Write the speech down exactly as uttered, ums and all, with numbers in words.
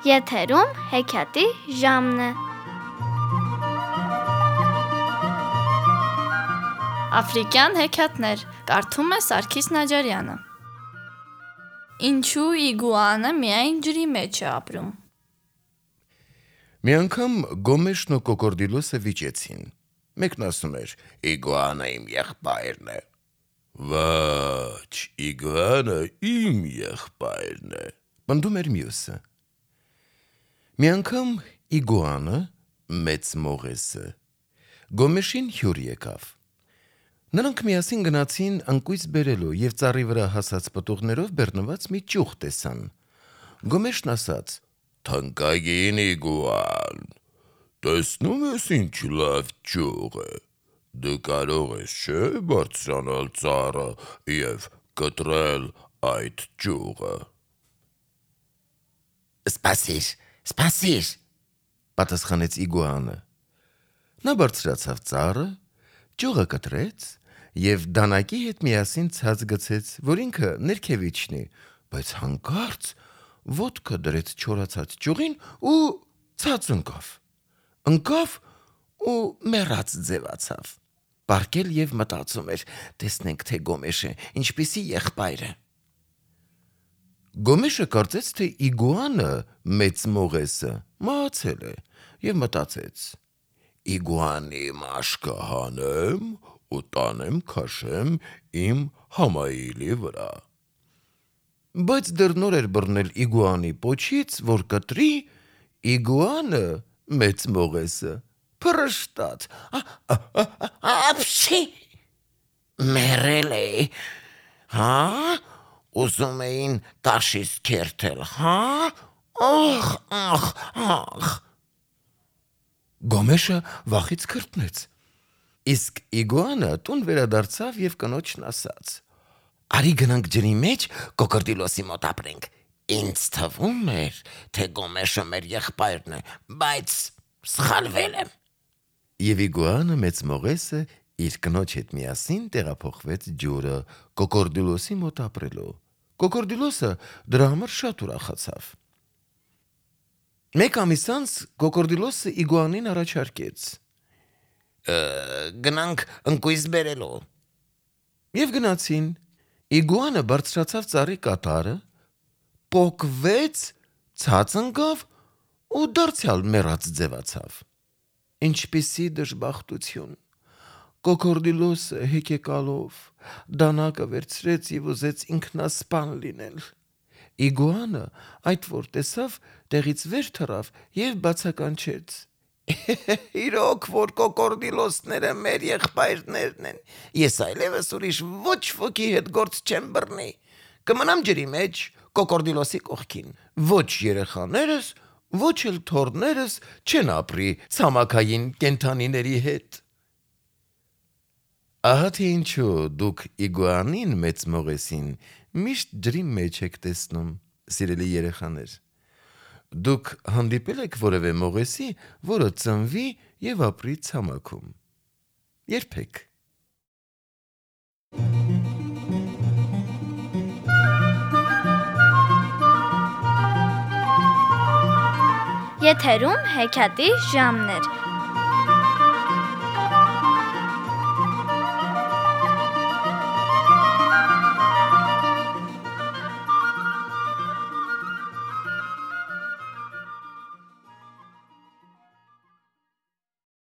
Եթերում հեքիաթի ժամն է։ Աֆրիկյան հեքիաթներ, կարդում է Սարգիս Նաջարյանը։ Ինչու իգուանը միայն ջրի մեջ է ապրում։ Մի անգամ Գոմեշն ու Կոկորդիլոսը վիճեցին։ Մեկն ասում էր. «Իգուանը իմ եղբայրն է»։ «Ոչ, իգուանը իմ եղբայրն է», պնդում էր մյուսը։ Մի անգամ իգուանը, մեծ մողեսը, Գոմեշին հյուր եկավ։ Նրանք միասին գնացին ընկույզ բերելու և ծառի վրա հասած պտուղներով բեռնված մի ճյուղ տեսան։ Գոմեշն ասաց. «Թանկագին իգուան, տեսնու՞մ ես ինչ լավ ճյուղ է, դու կարող ես չէ՞ բարձրանալ ծառը և կտրել այդ ճյուղը»։ «Սպասիր, սպասիր», պատասխանեց իգուանը։ Նա բարձրացավ ծառը, ճյուղը կտրեց և դանակի հետ միասին ցած գցեց, որ ինքը ներքև իջնի, բայց հանկարծ ոտքը դրեց չորացած ճյուղին ու ցած ընկավ։ Ընկավ ու մեռած ձևացավ։ Պառկել և մտածում էր. տեսնենք, թե Գոմեշը ինչպիսի եղբայր է։ Գոմեշը կարծեց, թե իգուանը, մեծ մողեսը, մահացել է և մտածեց. «Իգուանի մաշկը հանեմ ու տանեմ քաշեմ իմ համայիլի վրա»։ Բայց դեռ նոր էր բռնել իգուանի պոչից, որ կտրի, իգուանը, մեծ մողեսը, փռշտաց. «Ապշի, մեռել էի, հա՞, ուզում էին տաշից քերթել, հա՞, ախ, ախ, ախ»։ Գոմեշը վախից քրտնեց։ Իսկ իգուանը տուն վերադարձավ և կնոջն ասաց. «Արի գնանք ջրի մեջ Կոկորդիլոսի մոտ ապրենք, ինձ թվում էր, թե Գոմեշը մեր եղբայրն է, բայց սխալվել եմ»։ Եվ իգուանը, մեծ մողեսը, իր կնոջ հետ միասին տեղափոխվեց ջուրը Կոկորդիլոսի մոտ ապրելու։ Կոկորդիլոսը դրա համար շատ ուրախացավ։ Մեկ ամիս անց Կոկորդիլոսը իգուանին առաջարկեց. «Գնանք ընկույզ բերելու»։ Եվ գնացին։ Իգուանը բարձրացավ ծառի կատարը, պոկվեց, ցած ընկավ ու դարձյալ մեռած ձևացավ։ Ինչպիսի դժբախտություն։ Կոկորդիլոսը հեկեկալով դանակը վերցրեց և ուզեց ինքնասպան լինել։ Իգուանը, այդ որ տեսավ, տեղից վեր թռավ և բացականչեց. «Իրոք որ Կոկորդիլոսները մեր եղբայրներն են, ես այլևս ուրիշ ոչ ոքի հետ գործ չեմ բռնի, կմնամ ջրի մեջ Կոկորդիլոսի կողքին, ոչ երեխաներս, ոչ էլ թոռներս չեն ապրի ցամաքային կենդանիների հետ»։ Ահա թե ինչու դուք իգուանին, մեծ մողեսին, միշտ ջրի մեջ եք տեսնում, սիրելի երեխաներ։ Դուք հանդիպե՞լ եք որևէ մողեսի, որը ծնվի և ապրի ցամաքում։ Երբեք։ Եթերում հեքիաթի ժամն էր։